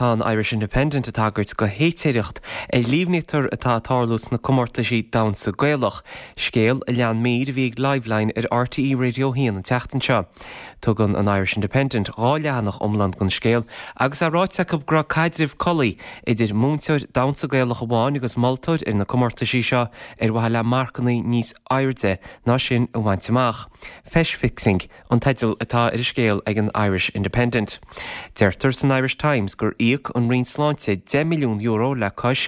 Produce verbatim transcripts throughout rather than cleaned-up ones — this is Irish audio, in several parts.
Tá an Irish Independent ag tagairt go héitireacht ar líomhnaítear atá ag tarlú sna comórtaisí damhsa Gaelach, scéal a lean mír a bhí ag Liveline ar RTÉ Radio a haon an tseachtain seo. Tugann an Irish Independent dhá leathanach iomlán don scéal agus é ráite acu go raibh caidreamh collaí idir múinteoir damhsa Gaelach amháin agus moltóir ar na comórtaisí seo ar mhaithe le marcanna níos airde ná sin a bhaint amach. Feis fixing an teideal atá ar an scéal ag an Irish Independent. Deirtear san Irish Times gur íoc an Roinn Sláinte deich milliún euro le cois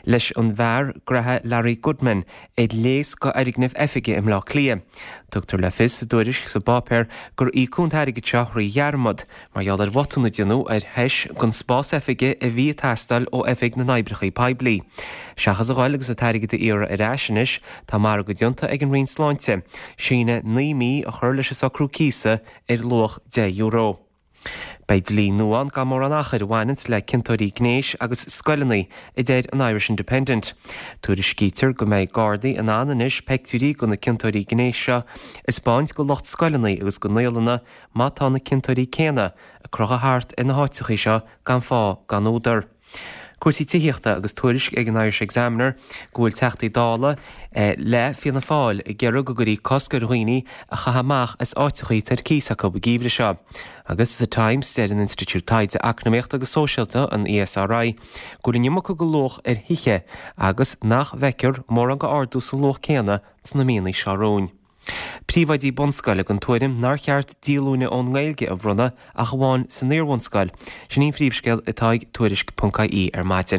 leis an bhfear graithe Larry Goodman ar léas go fhoirgneamh oifige i mBleá Cliath. Tugtar le fios sa dtuairisc sa bpáipéar gur íocadh an t-airgead seo thrí dhearmad, mar gheall ar bhotún a déanadh ar thois don spás oifige a bhí ag teastáil ó Oifig na nOibreacha Poiblí. Seachas a ghoil agus an t-airgead a iarraidh ar ais anois, tá margadh déanta ag an Roinn Sláinte, síneadh naoi mí a chur leis an socrú cíosa ar luach deich euro. Beidh dlí nua ann gan mórán achair a bhaineanns le ciontóirí gnéis agus scoileanna, a deir an Irish Independent. Tuairiscítear go mbeidh Gardaí in ann anois peictiúirí go na ciontóirí gnéis seo a 'speáint go lucht scoileanna agus go naíolanna má tá na ciontóirí céanna ag crochadh thart ar na háiteachaí seo gan fáth gan údar. Cúrsaí tithíochta agus tuairisc ag an Irish Examiner go bhfuil Teachtaí Dála le Fianna Fáil ag iarraidh go gcuirfí cosc ar dhaoine a chaitheamh amach as áiteachaí atá ar cíos acu an geimhreadh seo. Agus sa Times deir an Institiúid Taighde Eacnamaíochta agus Sóisialta an ESRI go bhfuil an iomarca go luach ar thithe agus nach bhfeictear mórán go ardú sa luach céanna sna míonna seo romhainn. Príomhoidí bunscoile den tuairim nár cheart díolúine ón nGaeilge a bhronnadh ach amháin san iarbhunscoil. Sin an phríomhscéal atá ag tuairisc.ie ar maidin.